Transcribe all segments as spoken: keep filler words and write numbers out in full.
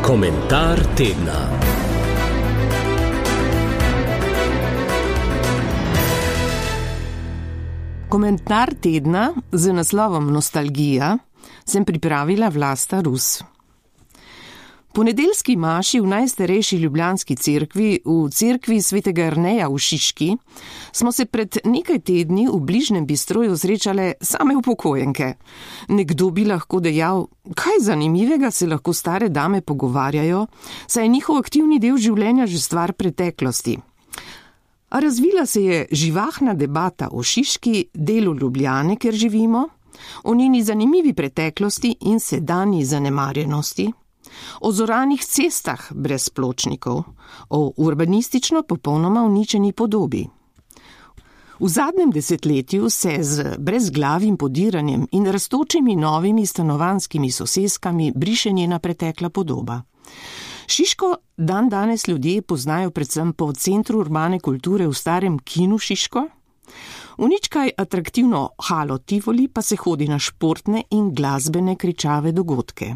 Komentar tedna. Komentar tedna z naslovom Nostalgija sem pripravila Vlasta Rus. Po nedeljski maši v najstarejši ljubljanski cerkvi, v cerkvi svetega Jerneja v Šiški, smo se pred nekaj tedni v bližnjem Bistroju srečale same upokojenke. Nekdo bi lahko dejal, kaj zanimivega se lahko stare dame pogovarjajo, saj je njihov aktivni del življenja že stvar preteklosti. A razvila se je živahna debata o Šiški, delu Ljubljane, kjer živimo, o njeni zanimivi preteklosti in sedanji zanemarjenosti, o zoranih cestah brez pločnikov, o urbanistično popolnoma uničeni podobi. V zadnjem desetletju se z brezglavim podiranjem in rastočimi novimi stanovanjskimi soseskami briše njena pretekla podoba. Šiško dan danes ljudje poznajo predvsem po centru urbane kulture v starem kinu Šiško. V nič kaj atraktivno halo Tivoli pa se hodi na športne in glasbene kričave dogodke.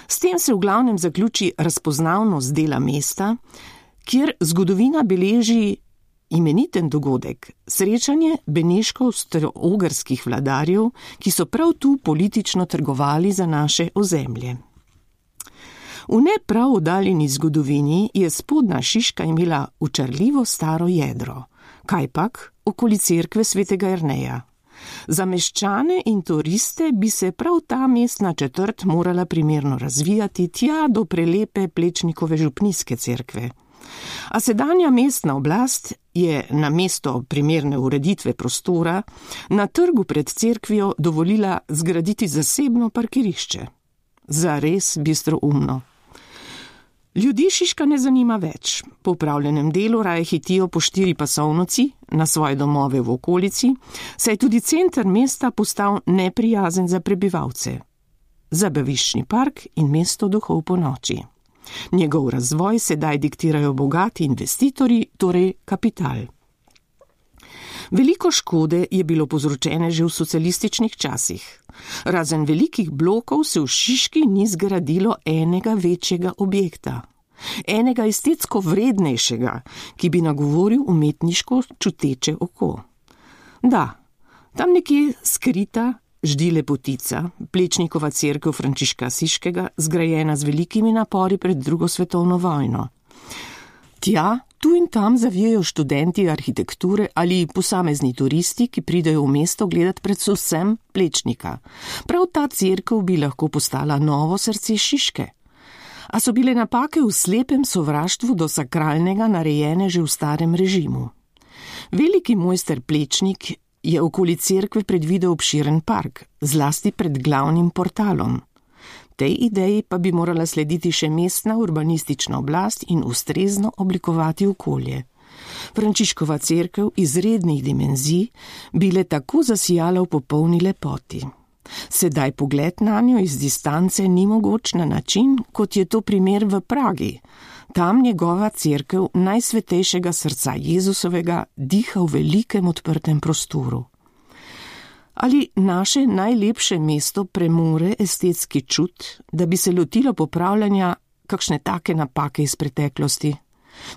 S tem se v glavnem zaključi razpoznavnost dela mesta, kjer zgodovina beleži imeniten dogodek, srečanje beneško-avstro-ogrskih vladarjev, ki so prav tu politično trgovali za naše ozemlje. V ne prav oddaljeni zgodovini je spodnja Šiška imela učarljivo staro jedro, kajpak okoli cerkve svetega Jerneja. Za meščane in turiste bi se prav ta mestna četrt morala primerno razvijati tja do prelepe Plečnikove župnijske cerkve. A sedanja mestna oblast je na mesto primerne ureditve prostora na trgu pred cerkvijo dovolila zgraditi zasebno parkirišče. Zares bistroumno. Ljudi Šiška ne zanima več. Po upravljenem delu raje hitijo po štiri pasovnici na svoje domove v okolici, saj je tudi center mesta postal neprijazen za prebivalce. Zabaviščni park in mesto duhov po noči. Njegov razvoj sedaj diktirajo bogati investitorji, torej kapital. Veliko škode je bilo povzročene že v socialističnih časih. Razen velikih blokov se v Šiški ni zgradilo enega večjega objekta. Enega estetsko vrednejšega, ki bi nagovoril umetniško čuteče oko. Da, tam nekje skrita ždi lepotica, Plečnikova cerkev Frančiška Asiškega, zgrajena z velikimi napori pred drugo svetovno vojno. Tja, tu in tam zavijajo študenti arhitekture ali posamezni turisti, ki pridejo v mesto gledat predvsem Plečnika. Prav ta cerkev bi lahko postala novo srce Šiške. A so bile napake v slepem sovraštvu do sakralnega narejene že v starem režimu. Veliki mojster Plečnik je okoli cerkve predvidel obširen park, zlasti pred glavnim portalom. Tej ideji pa bi morala slediti še mestna urbanistična oblast in ustrezno oblikovati okolje. Frančiškova cerkev izrednih dimenzij bi le tako zasijala v popolni lepoti. Sedaj pogled nanjo iz distance ni mogoč na način, kot je to primer v Pragi. Tam njegova cerkev najsvetejšega srca Jezusovega diha v velikem odprtem prostoru. Ali naše najlepše mesto premore estetski čut, da bi se lotilo popravljanja kakšne take napake iz preteklosti?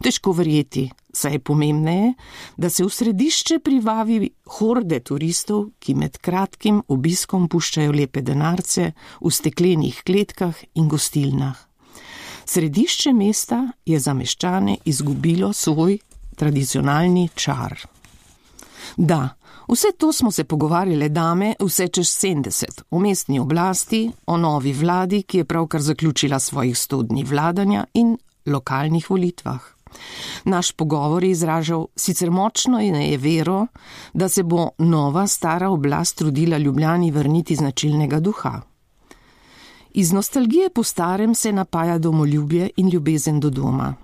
Težko verjeti, saj je pomembneje, da se v središče privabi horde turistov, ki med kratkim obiskom puščajo lepe denarce v steklenih kletkah in gostilnah. Središče mesta je za meščane izgubilo svoj tradicionalni čar. Da, vse to smo se pogovarjale dame vse čez sedemdeset, o mestni oblasti, o novi vladi, ki je pravkar zaključila svojih sto dni vladanja in lokalnih volitvah. Naš pogovor je izražal sicer močno in je vero, da se bo nova stara oblast trudila Ljubljani vrniti značilnega duha. Iz nostalgije po starem se napaja domoljubje in ljubezen do doma.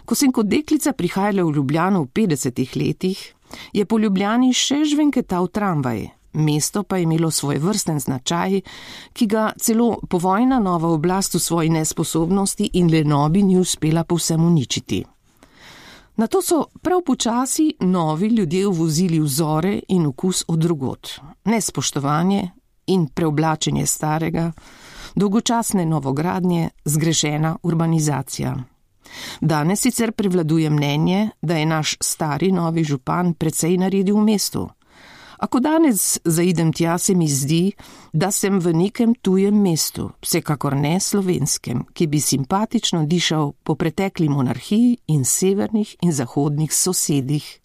Ko sem kot deklica prihajala v Ljubljano v petdesetih letih, je po Ljubljani še žvenketal tramvaj, mesto pa je imelo svoj vrsten značaj, ki ga celo povojna nova oblast v svoji nesposobnosti in lenobi ni uspela povsem uničiti. Nato so prav počasi novi ljudje uvozili vzore in okus od drugod, nespoštovanje in preoblačenje starega, Dolgočasne novogradnje, zgrešena urbanizacija. Danes sicer prevladuje mnenje, da je naš stari novi župan precej naredil v mestu. A ko danes zaidem tja, se mi zdi, da sem v nekem tujem mestu, vsekakor ne slovenskem, ki bi simpatično dišal po pretekli monarhiji in severnih in zahodnih sosedih.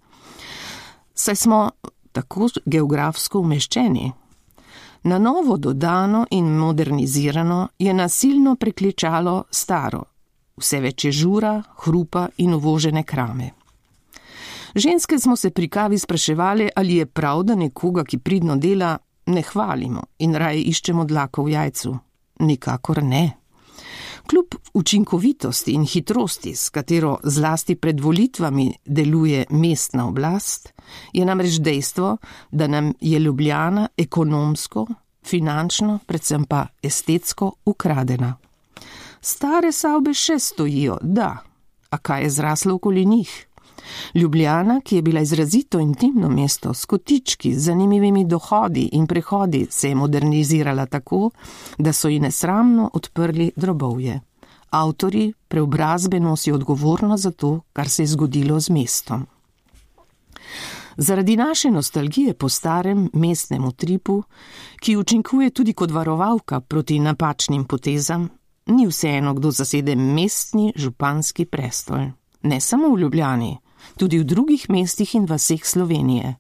Saj smo tako geografsko umeščeni. Na novo dodano in modernizirano je nasilno prekličalo staro, vse več je žura, hrupa in uvožene krame. Ženske smo se pri kavi spraševali, ali je prav, da nekoga, ki pridno dela, ne hvalimo in raje iščemo dlako v jajcu. Nikakor ne. Kljub učinkovitosti in hitrosti, s katero zlasti pred volitvami deluje mestna oblast, je namreč dejstvo, da nam je Ljubljana ekonomsko, finančno, predvsem pa estetsko ukradena. Stare stavbe še stojijo, da, a kaj je zraslo okoli njih? Ljubljana, ki je bila izrazito intimno mesto s kotički, z zanimivimi dohodi in prehodi, se je modernizirala tako, da so ji nesramno odprli drobovje. Avtorji preobrazbe nosijo odgovornost za to, kar se je zgodilo z mestom. Zaradi naše nostalgije po starem mestnem utripu, ki učinkuje tudi kot varovalka proti napačnim potezam, ni vseeno, kdo zasede mestni županski prestol. Ne samo v Ljubljani, tudi v drugih mestih in vaseh Slovenije.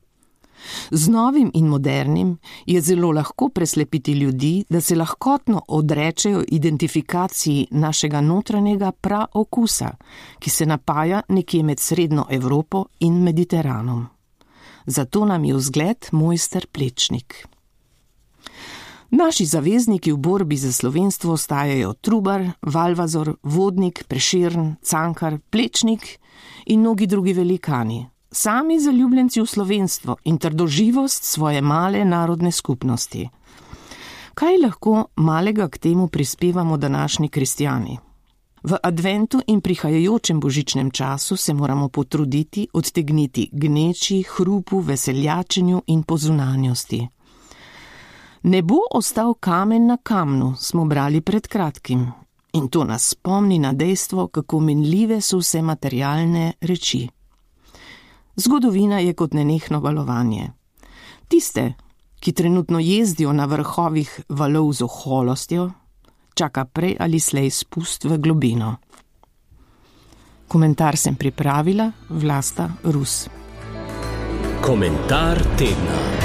Z novim in modernim je zelo lahko preslepiti ljudi, da se lahkotno odrečejo identifikaciji našega notranjega praokusa, ki se napaja nekje med srednjo Evropo in Mediteranom. Zato nam je vzgled mojster Plečnik. Naši zavezniki v borbi za slovenstvo ostajajo Trubar, Valvazor, Vodnik, Prešern, Cankar, Plečnik in mnogi drugi velikani, sami zaljubljenci v slovenstvo in trdoživost svoje male narodne skupnosti. Kaj lahko malega k temu prispevamo današnji kristjani? V adventu in prihajajočem božičnem času se moramo potruditi odtegniti gneči, hrupu, veseljačenju in pozunanjosti. Ne bo ostal kamen na kamnu, smo brali pred kratkim. In to nas spomni na dejstvo, kako minljive so vse materialne reči. Zgodovina je kot nenehno valovanje. Tiste, ki trenutno jezdijo na vrhovih valov z oholostjo, čaka prej ali slej spust v globino. Komentar sem pripravila Vlasta Rus. Komentar tedna.